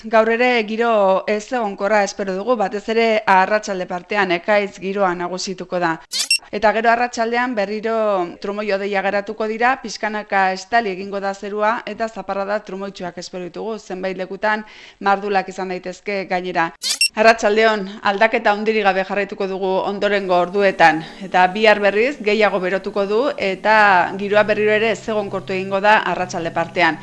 gaur ere giro ez egonkorra espero dugu, batez ere arratsalde partean ekaitz giroa nagusituko da. Eta gero arratsaldean berriro trumoi-hodeia geratuko dira, pixkanaka estali egingo da zerua eta zaparrada trumoitsuak espero ditugu, zenbait lekutan mardulak izan daitezke gainera. Arratsaldeon, aldaketa handirik gabe jarraituko dugu ondorengo orduetan eta bihar berriz gehiago berotuko du eta giroa berriro ere ez egonkortu egingo da arratsalde partean.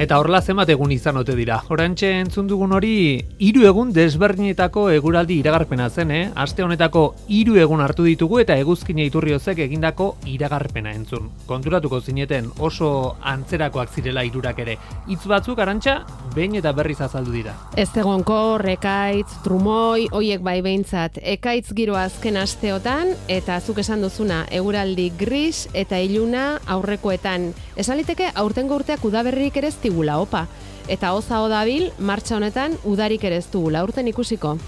Eta horrela zenbat egun izan ote dira. Orantxe entzun dugun hori 3 egun desberdinetako eguraldi iragarpena zen, Aste honetako 3 egun hartu ditugu eta Eguzkina Iturriozek egindako iragarpena entzun. Konturatuko zineten oso antzerakoak zirela hirurak ere. Hitz batzuk Arantxa behin eta berriz azaldu dira. Ez egonkor, ekaitz, trumoi, hoiek bai behintzat. Ekaitz giroa azken asteotan eta zuk esan duzuna eguraldi gris eta iluna aurrekoetan. Esaliteke aurtengo urteak udaberrik ere ez digula, opa. Eta oza dabil, martxa honetan udarik ere ez dugula, urten ikusiko.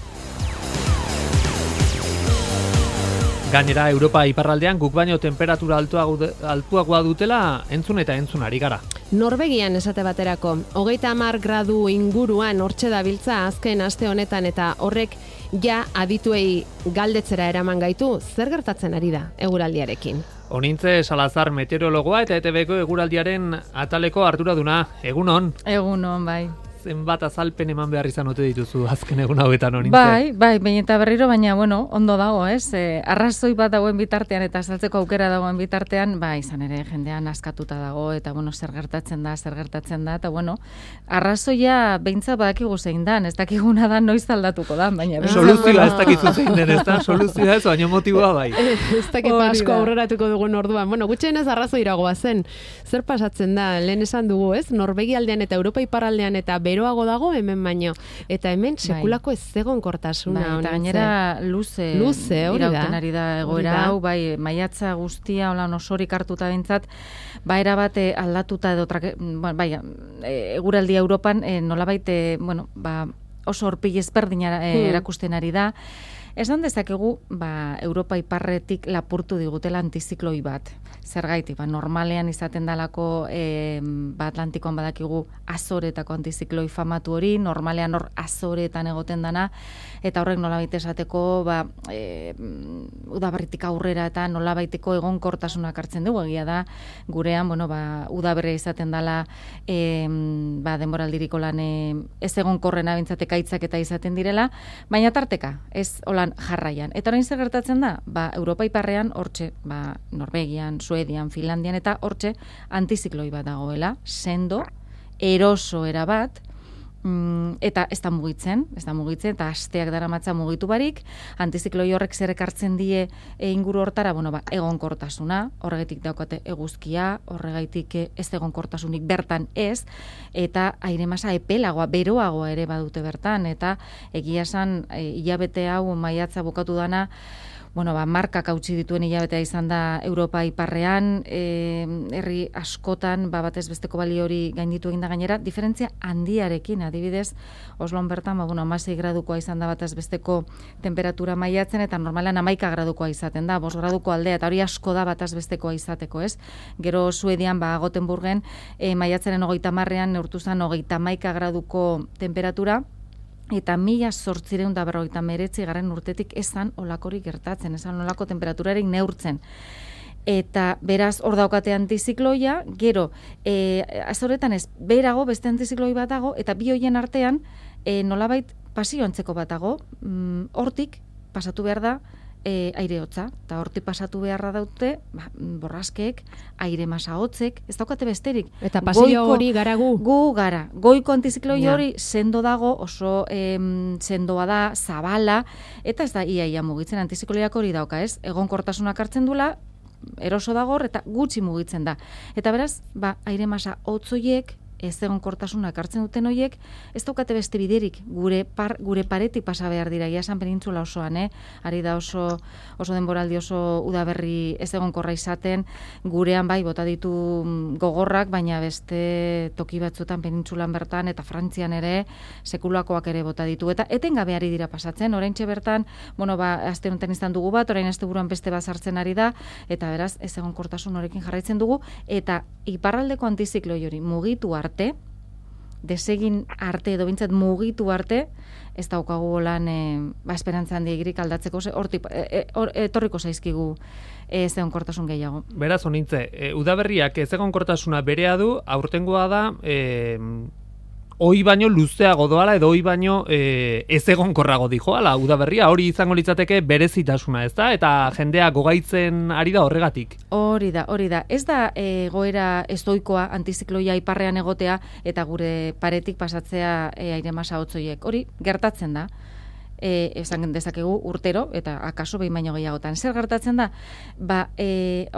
Gainera, Europa iparraldean guk baino temperatura altuagoa dutela entzun eta entzun ari gara. Norvegian esate baterako, 30 gradu inguruan hortxe dabiltza azken aste honetan eta horrek ja adituei galdetzera eraman gaitu, zer gertatzen ari da eguraldiarekin. Onintze Salazar meteorologoa eta ETBko eguraldiaren ataleko arduraduna. Egunon? Egunon, bai. Zenbat azalpen eman behar izan ote dituzu azken egun hauetan Onintze? Bai, behin eta berriro, baina, ondo dago, ez? Arrazoi bat dagoen bitartean eta azaltzeko aukera dagoen bitartean, izan ere, jendean askatuta dago, eta, zer gertatzen da, eta, arrazoia behintzat badakigu zein dan, ez dakiguna da noiz aldatuko da, baina... Soluzioa ez dakizu zein den, ez da? Soluzioa ez, baina motiboa bai. Ez dakit asko aurreratuko dugun orduan. Gutxienez arrazoiragoa zen. Zer pasatzen da, lehen esan dugu, ez? Norvegialdean eta Europa iparraldean eta beroago dago hemen baino. Eta hemen sekulako ez egonkortasuna. Eta gainera luze irauten ari da egoera hau, maiatza guztia, osorik hartuta bintzat, erabat aldatuta edo eguraldia Europan nolabait, oso horpil ezberdina erakusten ari da. Esan dezakegu, Europa iparretik lapurtu digutela antizikloi bat. Zergaitik, normalean izaten dalako Atlantikoan badakigu Azoretako antizikloi famatu hori, normalean hor Azoretan egoten dana, eta horrek nolabait esateko, udaberritik aurrera eta nolabaiteko egonkortasunak hartzen dugu, egia da, gurean, udaberria izaten dala, denboraldiriko lan ez egonkorrena bintzate kaitzak eta izaten direla, baina tarteka, ez jarraian. Eta orain zer gertatzen da? Europa iparrean hortxe, Norvegian, Suedian, Finlandian eta hortxe antizikloi bat dagoela, sendo, eroso erabat, eta ez da mugitzen, eta asteak daramatza mugitu barik, antizikloi horrek zer ekartzen die inguru hortara, egonkortasuna, horregatik daukate eguzkia, horregatik ez egonkortasunik bertan ez, eta aire masa epelagoa, beroagoa ere badute bertan, eta egia esan hilabete hau maiatza bukatu dana, markak hautsi dituen hilabetea izan da Europa iparrean, herri askotan, batez besteko balio hori gainditu egin da gainera, diferentzia handiarekin, adibidez, Oslon bertan, 16 gradukoa izan da batez besteko temperatura maiatzen, eta normalan 11 gradukoa izaten da, 5 graduko aldea, eta hori asko da batez bestekoa izateko, ez? Gero Suedian, Gotenburgen, maiatzaren 30ean neurtu zen 31 graduko temperatura, eta 1859 urtetik esan olakorik gertatzen, esan olako temperaturarik neurtzen. Eta beraz hor daukate antizikloia, gero Azoretan ez berago beste antizikloi bat dago, eta bi hoien artean nolabait pasio antzeko bat dago, hortik pasatu behar da aire hotza, eta hortik pasatu beharra daute, borraskeek, aire masa hotzek, ez daukate besterik. Eta pasio hori gara gu? Gu gara. Goiko antizikloi hori sendo dago, oso sendoa da, zabala, eta ez da ia mugitzen antizikloiak hori dauka, ez? Egonkortasunak hartzen dula, eroso dago eta gutxi mugitzen da. Eta beraz, aire masa hotzoiek, ez egonkortasunak hartzen duten horiek, ez daukate beste biderik, gure paretik pasa behar dira, iasan penintzula osoan, ari da oso denboraldi oso udaberri ez egonkorra izaten, gurean bota ditu gogorrak, baina beste toki batzuetan penintzulan bertan, eta Frantzian ere, sekulakoak ere bota ditu, eta etengabe ari dira pasatzen, oraintxe bertan, aste honetan izan dugu bat, orain asteburuan beste bat sartzen ari da, eta beraz, ez egonkortasun horrekin jarraitzen dugu, eta iparraldeko antizikloi hori mugitu arte, desegin arte edo bintzat mugitu arte, ez daukagu lan esperantza handiegirik aldatzeko, hortik etorriko zaizkigu ezegonkortasun gehiago. Beraz, honintze, udaberriak ezegonkortasuna berea du, aurtengoa da, hoi baino luzeago doala edo hoi baino ezegonkorrago dijoala, udaberria hori izango litzateke berezitasuna, ez da? Eta jendea gogaitzen ari da horregatik. Hori da. Ez da egoera estoikoa antizikloia iparrean egotea eta gure paretik pasatzea aire masa hotzoiek. Hori gertatzen da. Esan dezakegu urtero, eta akaso behin baino gehiagotan. Zer gertatzen da?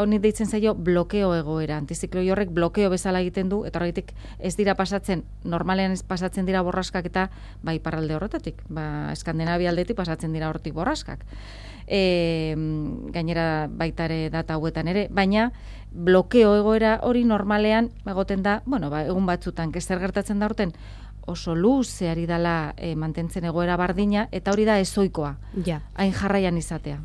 Honi deitzen zaio blokeo egoera. Antizikloi horrek blokeo bezala egiten du, eta horretik ez dira pasatzen, normalean ez pasatzen dira borraskak eta iparralde horretatik. Eskandinavia aldetik pasatzen dira hortik borraskak. Gainera baitare data hauetan ere, baina blokeo egoera hori normalean egoten da, egun batzutan, zer gertatzen da horten, oso luzeari dala mantentzen egoera bardina, eta hori da ezoikoa, hain jarraian izatea.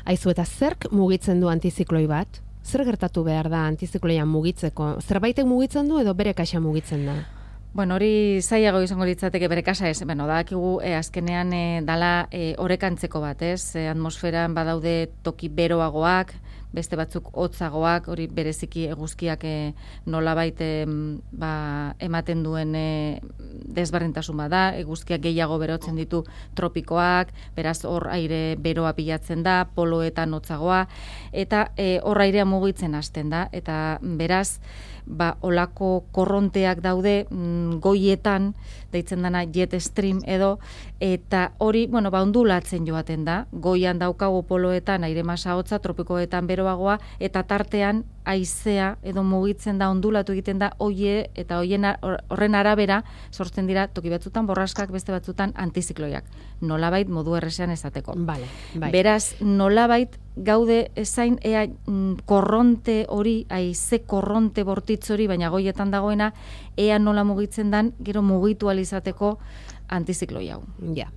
Aizu, eta zerk mugitzen du antizikloi bat? Zer gertatu behar da antizikloian mugitzeko? Zerbaitek mugitzen du edo bere kaxa mugitzen da? Hori zailago izango litzateke bere kasa ez. Dakigu azkenean dala orekantzeko bat, ez? Atmosferan badaude toki beroagoak, beste batzuk hotzagoak, hori bereziki eguzkiak nolabait ematen duen desberdintasun bada, eguzkiak gehiago berotzen ditu tropikoak, beraz hor aire beroa pilatzen da, poloetan hotzagoa, eta hor airea mugitzen hasten da, eta beraz olako korronteak daude goietan, deitzen dana jet stream edo, eta hori, ondulatzen joaten da, goian daukagu poloetan aire masa hotza, tropikoetan beroagoa, eta tartean haizea edo mugitzen da, ondulatu egiten da, eta horren arabera sortzen dira toki batzutan borraskak, beste batzutan antizikloiak. Nolabait modu errezean esateko. Bai. Beraz, nolabait gaude ezain ea korronte hori, haize korronte bortitz hori, baina goietan dagoena, ea nola mugitzen dan, gero mugitu alizateko antizikloi hau. Ja.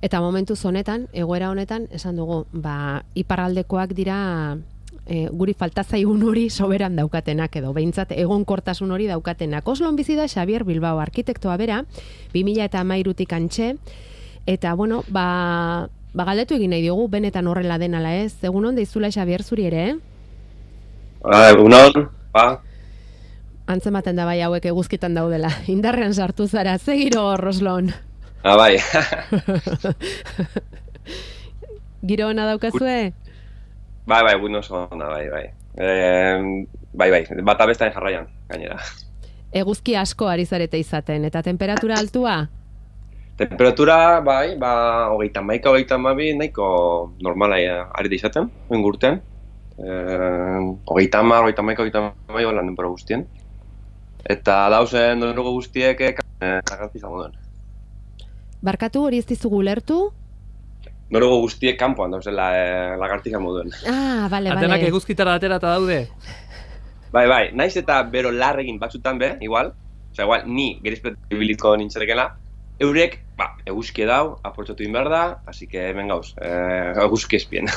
Eta momentuz honetan, egoera honetan, esan dugu, iparraldekoak dira guri falta zaigun hori soberan daukatenak edo behintzat egonkortasun hori daukatenak. Oslon bizi da Xabier Bilbao arkitektoa bera, 2013tik antxe, eta galdetu egin nahi diogu, benetan horrela den ala ez. Egunon deizula Xabier zuri ere, Egunon, Antzematen da bai hauek eguzkitan daudela. Indarrean sartu zara, zegiro Oslon. Bai. Giro ona daukazue? Bai, egun oso ona, bai. Bai, bata bestain jarraian, gainera. Eguzki asko ari zarete izaten, eta temperatura altua? Temperatura, bai, 31-32 nahiko normala ari da izaten, ingurten. 30-32 holan denbora guztien. Eta dauzen donugo guztiek garrantzi izango duen. Barkatu hori ez dizugu ulertu? Noruego guztiek kanpoan dauzela lagartija moduen. Bale. Atenak eguzkitara aterata daude? Bai, naiz eta bero larregin batzutan igual, igual ni gerizpet bibilitko nintzerekela, eurek, eguzki dau, aprobetxatu behar da, así que hemen gauz, eguzki espien.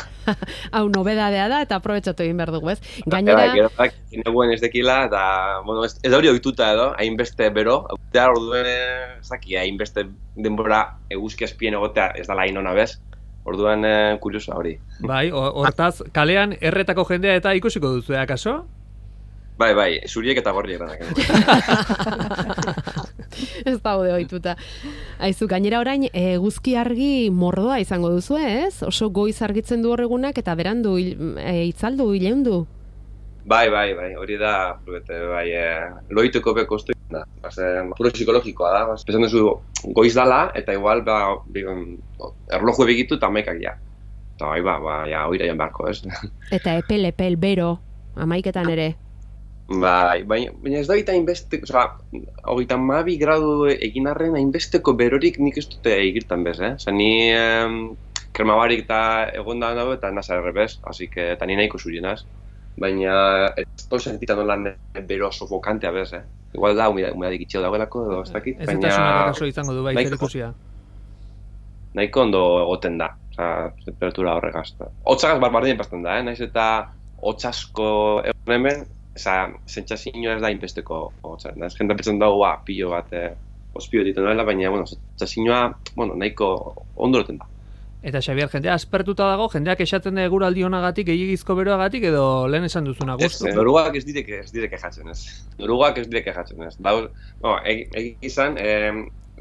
Hau nobedadea da eta aprobetxatu behar dugu, ez? Gainera... Bai, gineguen ez dekila, eta, ez da hori oituta edo, hainbeste bero, hautea orduen, hainbeste denbora eguzki espien egotea ez da lain ona bez, orduan kuriosoa hori. Bai, hortaz, kalean erretako jendea eta ikusiko duzu, akaso? Bai, zuriek eta gorriek danak. Ez daude ohituta. Aizu, gainera orain eguzki argi mordoa izango duzu, ez? Oso goiz argitzen du horregunak eta berandu itzaldu, ileundu. Bai, hori da, loiteko beko oztu da. Puro psikologikoa da. Pesan duzu goiz dala eta igual erloju ebegitu eta amaikak ja. Eta bai, oira jan beharko, ez? Eta epel, bero, amaiketan ere. Bai, baina ez da gita hainbeste, 32 gradu egin arren hainbesteko berorik nik ez dute egirtan bez, ni kremabarik eta egon da nago eta nasa errebez, eta ni nahiko zurienaz. Baina ez dut sentitan nolan bero sofokantea bez, Igual da, humidadik itxeo dagoelako, edo ez dakit. Ez eta sunak akaso izango du bai zer ikusia. Nahiko ondo egoten da, temperatura horregaz. Hotzagaz barbardien pasten da, naiz eta hotzasko egon hemen, sentsazioa ez da inbesteko hotza. Ez jenda pentsan dago, pilo bat ospio egiten dela, baina, bueno, sentsazioa, bueno, nahiko ondo loten da. Eta Xabier, jendea aspertuta dago, jendeak esaten da eguraldi honagatik, gehiegizko beroagatik, edo lehen esan duzuna gustu? Noruak ez dire kejatzen, ez. Noruak ez dire kejatzen, ez. Egizan,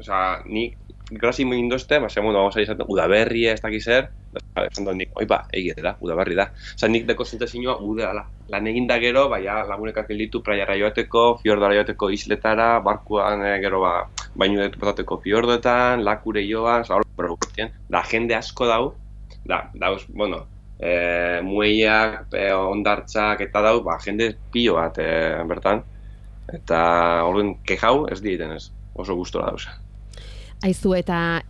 osea, nik grasi mindozte, bueno, vamos a izan, udaberria, ez dakiz zer, esan dut nik, egia udaberri da. Osa, nik deko zentazioa udala. Lan egin da gero, lagunek hartzen ditu praiara joateko, fiordara joateko isletara, barkuan gero baino detupatateko fiordoetan, lakure joan, da jende asko dauz, bueno, mueiak, ondartzak eta jende pilo bat bertan. Eta orduan kejau ez dieten ez, oso gustora dauz. Aizu, eta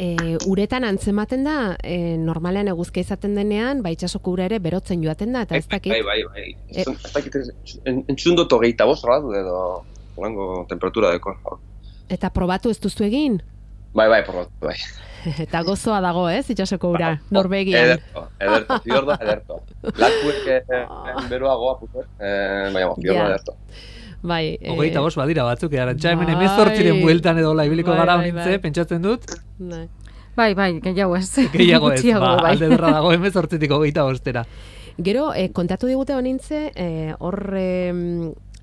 uretan antzematen da, normalean eguzkia izaten denean, itxasoko ura ere berotzen joaten da, eta ez dakit? Bai. Ez dakit, entzun dut 25 gradu edo olango temperatura deko. Eta probatu ez duzu egin? Bai, probatu, bai. Eta gozoa dago, ez, itxasoko ura, Norvegian? Ederto, fiordo, ederto. Lakuek beroagoa, baina, fiordo, ederto. Bai, 25 badira batzuk, Arantxa, hemen 18 bueltan edo labiliko gara honintze, pentsatzen dut? Bai, gehiago ez. Gehiago ez, alde derra dago 18tik 25-era. Gero, kontatu digute honintze,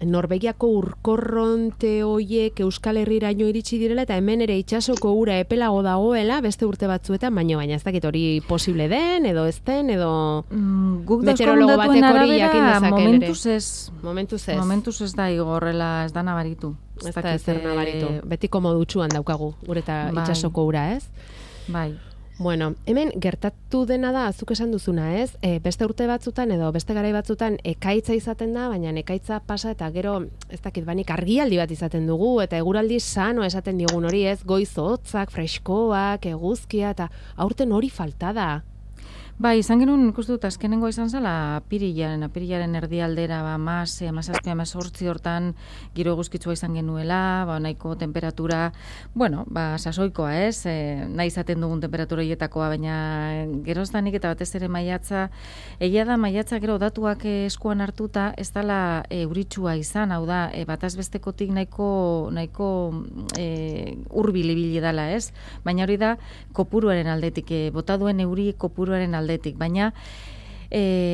Norvegiako urkorronte hoiek Euskal Herriraino iritsi direla eta hemen ere itsasoko ura epelago dagoela beste urte batzuetan, baina ez dakit hori posible den edo ez den edo guk meteorologo batek hori jakin dezake ere. Momentuz ez da igorrela, ez da nabaritu. Ez da ezer nabaritu. Betiko modutsuan daukagu gure eta itsasoko ura, ez? Bai. Bueno, hemen gertatu dena da, azuk esan duzuna, ez? Beste urte batzutan edo beste garai batzutan ekaitza izaten da, baina ekaitza pasa eta gero, ez dakit, banik argialdi bat izaten dugu, eta eguraldi sano esaten digun hori, ez? Goiz hotzak, freskoak, eguzkia, eta aurten hori falta da. Bai, izan genuen ikustu dut azkenengo izan zala apirilaren erdialdera, 17-18 hortan giro eguzkitsua izan genuela, nahiko temperatura, bueno, sasoikoa ez, nahi izaten dugun temperatura hietakoa, baina geroztanik eta batez ere maiatza, egia da maiatza gero datuak eskuan hartuta, ez dela euritsua izan, hau da, bataz bestekotik nahiko hurbil ibili dela ez, baina hori da kopuruaren aldetik, bota duen euri kopuruaren aldetik, baina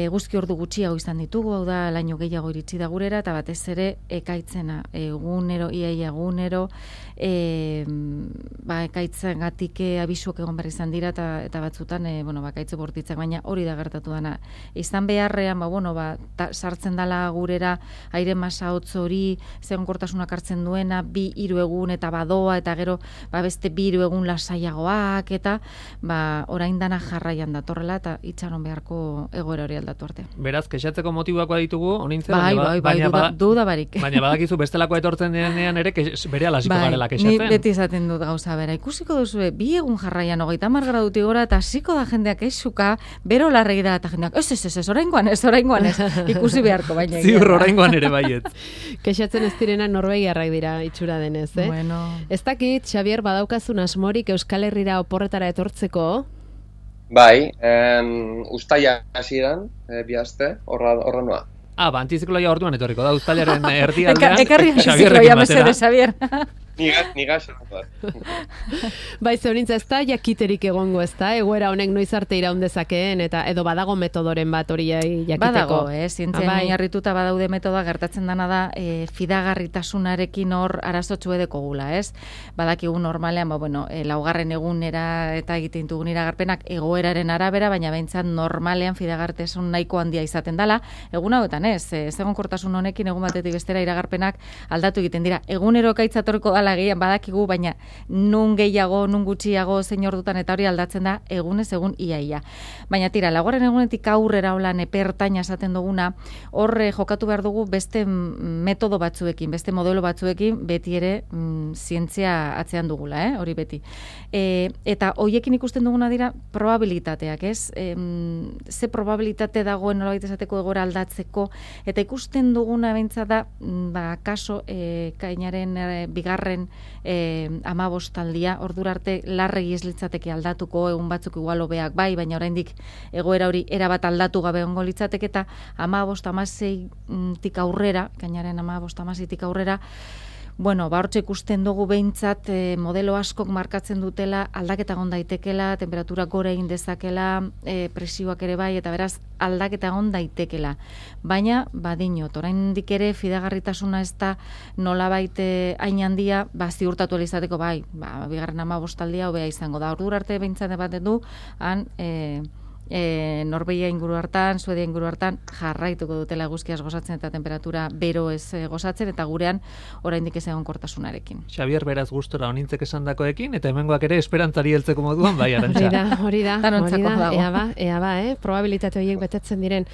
guzki ordu gutxiago izan ditugu, hau da laino gehiago iritsi da gurera, eta batez ere ekaitzena, iaia egunero, ekaitzengatik abisuak egon behar izan dira, eta batzutan, ekaitze bortitzak, baina hori da gertatu dana. Izan beharrean, sartzen dala gurera, aire masa hotz hori, zegonkortasunak hartzen duena, 2-3 egun eta badoa, eta gero beste 2 egun lasaiagoak, eta orain dana jarraian datorrela, eta itxaron beharko egoera hori aldatu arte. Beraz, kexatzeko motibakoa ditugu, honintzen, duda barik. Baina badakizu bestelakoa etortzen denean ere, bere alasiko garela kexatzen. Ni beti izaten dut gauza bera. Ikusiko duzu, 2 egun jarraian 30 gradutik gora, eta hasiko da jendeak esuka, bero larregi da, eta jendeak, ez, oraingoan ez, ikusi beharko, baina. Ziur, oraingoan ere baiet. Kexatzen ez direna Norvegiarrak dira itxura denez, eh? Bueno. Ez dakit, Xabier, badaukazun asmorik Euskal Herrira oporretara etortzeko? Bai, ustaia hasieran, bihazte, horra noa. Antizikloia orduan etorriko da, uztailaren erdialdean. Ekarri antizikloia mesede, Xabier. Niga Bai, zeurintza ez da, jakiterik egongo ez da, egoera honek noiz arte iraun dezakeen, eta edo badago metodoren bat hori jakiteko. Badago, zientzia oinarrituta badaude metoda, gertatzen dana da, fidagarritasunarekin hor arazotxu edeko gula, ez? Badakigu normalean, laugarren egunera eta egiten dugun iragarpenak egoeraren arabera, baina behintzat normalean fidagarritasun nahiko handia izaten dela, egun hauetan egonkortasun honekin egun batetik bestera iragarpenak aldatu egiten dira. Egunero ekaitzatorko dala gehian badakigu, baina nun gehiago, nun gutxiago, zein ordutan eta hori aldatzen da egunez egun iaia. Baina tira, laugarren egunetik aurrera holan epertaina esaten duguna, horre jokatu behar dugu beste metodo batzuekin, beste modelo batzuekin, beti ere zientzia atzean dugula, hori beti. Eta hoiekin ikusten duguna dira probabilitateak, ez? Ze probabilitate dagoen nolabait esateko egoera aldatzeko, eta ikusten duguna behintzat da, kaso, kainaren bigarren 15 aldia, ordura arte larregi ez litzateke aldatuko, egun batzuk igual hobeak bai, baina oraindik egoera hori erabat aldatu gabe ongo litzateke, eta 15-16tik aurrera, kainaren 15-16tik aurrera, Bueno, hortxe ikusten dugu behintzat modelo askok markatzen dutela aldaketa egon daitekela, temperatura gora egin dezakela, presioak ere bai, eta beraz aldaketa egon daitekela. Baina, badinot, oraindik ere fidagarritasuna ez da nolabait hain handia, ziurtatu izateko bai, bigarren 15 aldia hobea izango da. Ordura arte behintzat baten du, han Norvegia inguru hartan, Suedia inguru hartan jarraituko dutela eguzkiaz gozatzen eta temperatura bero ez gozatzen, eta gurean oraindik ez egonkortasunarekin. Xabier, beraz gustora onintzek esandakoekin, eta hemengoak ere esperantzari heltzeko moduan bai, Arantxa. Hori da, dago. ea ba, probabilitate horiek betetzen diren.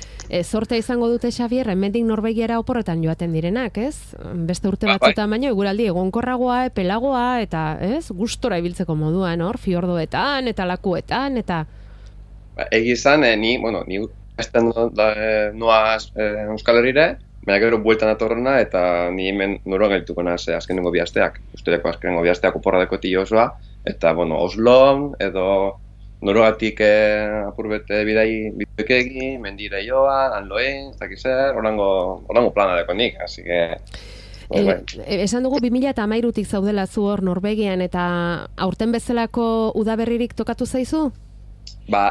Zortea izango dute, Xabier, hemendik Norvegiara oporretan joaten direnak, ez? Beste urte batzutan baino, eguraldi egonkorragoa, epelagoa, eta ez? Gustora ibiltzeko moduan, fiordoetan, eta lakuetan, eta... Egi izan, ni esten noa Euskal Herrire, baina gero bueltan atorrena, eta ni hemen noroan gelituko naz azkenengo bi asteak. Usteleko azkenengo bi asteak oporradeko osoa, eta, Oslon, edo noroatik apurbete bideik egin, mendire joa, anloen, ez dakiz zer, orango plana deko nik, así que... Esan dugu 2013tik zaudela zu hor Norvegian, eta aurten bezalako udaberririk tokatu zaizu?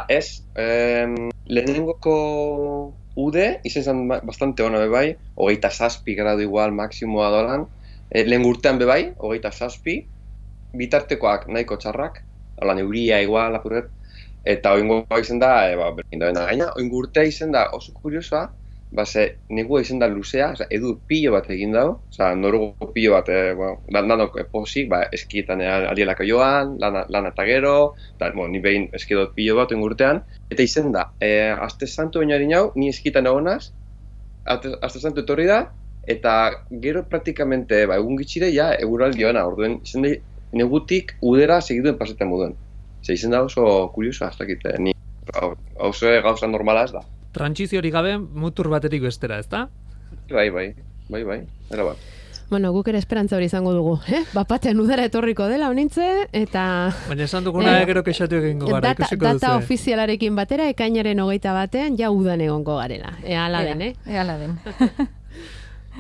Ez, lehenengoko ude, izan zen bastante ona bebai, 27 gradu igual maksimoa dolan, lehen urtean bebai, 27, bitartekoak nahiko txarrak, holan euria igual apurret, eta oingo izan da, berdin da bena gaina, oingo urtea izan da oso kuriosoa, negua izan da luzea, edu pilo bat egin dago, norugo pilo bat, danok posik, eskietan alielako joan, lana eta gero, ni behin eskidot pilo bat oingo urtean, eta izan da, aste santu bainari nau, ni eskietan egonaz, aste santu etorri da, eta gero praktikamente, egun gitxire, eguraldi joana, orduen, izan da, negutik udera segiduen pasetan moduen. Izan da oso kurioso, hasta kite, ni oso gauza normala ez da. Trantsiziorik gabe mutur baterik bestera, ezta? Bai, era bat. Bueno, guk ere esperantza hori izango dugu, Bapatean udara etorriko dela honintze, eta... Baina esan duguna gero kexatu egingo gara, ikusiko duzu. Data ofizialarekin batera, ekainaren 21 ja udan egongo garela. Ala den. Ala den.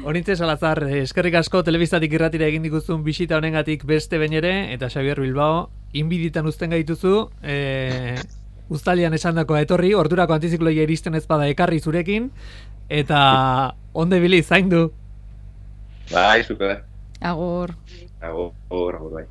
Honintze Salazar, eskerrik asko telebistatik irratira egin diguzun bisita honengatik beste behin ere, eta Xabier Bilbao, inbiditan uzten gaituzu, Uztalian esandakoa etorri, ordurako antizikloia iristen ez bada ekarri zurekin, eta onde bili, zaindu. Bai, zuke. Agur. Agur, bai.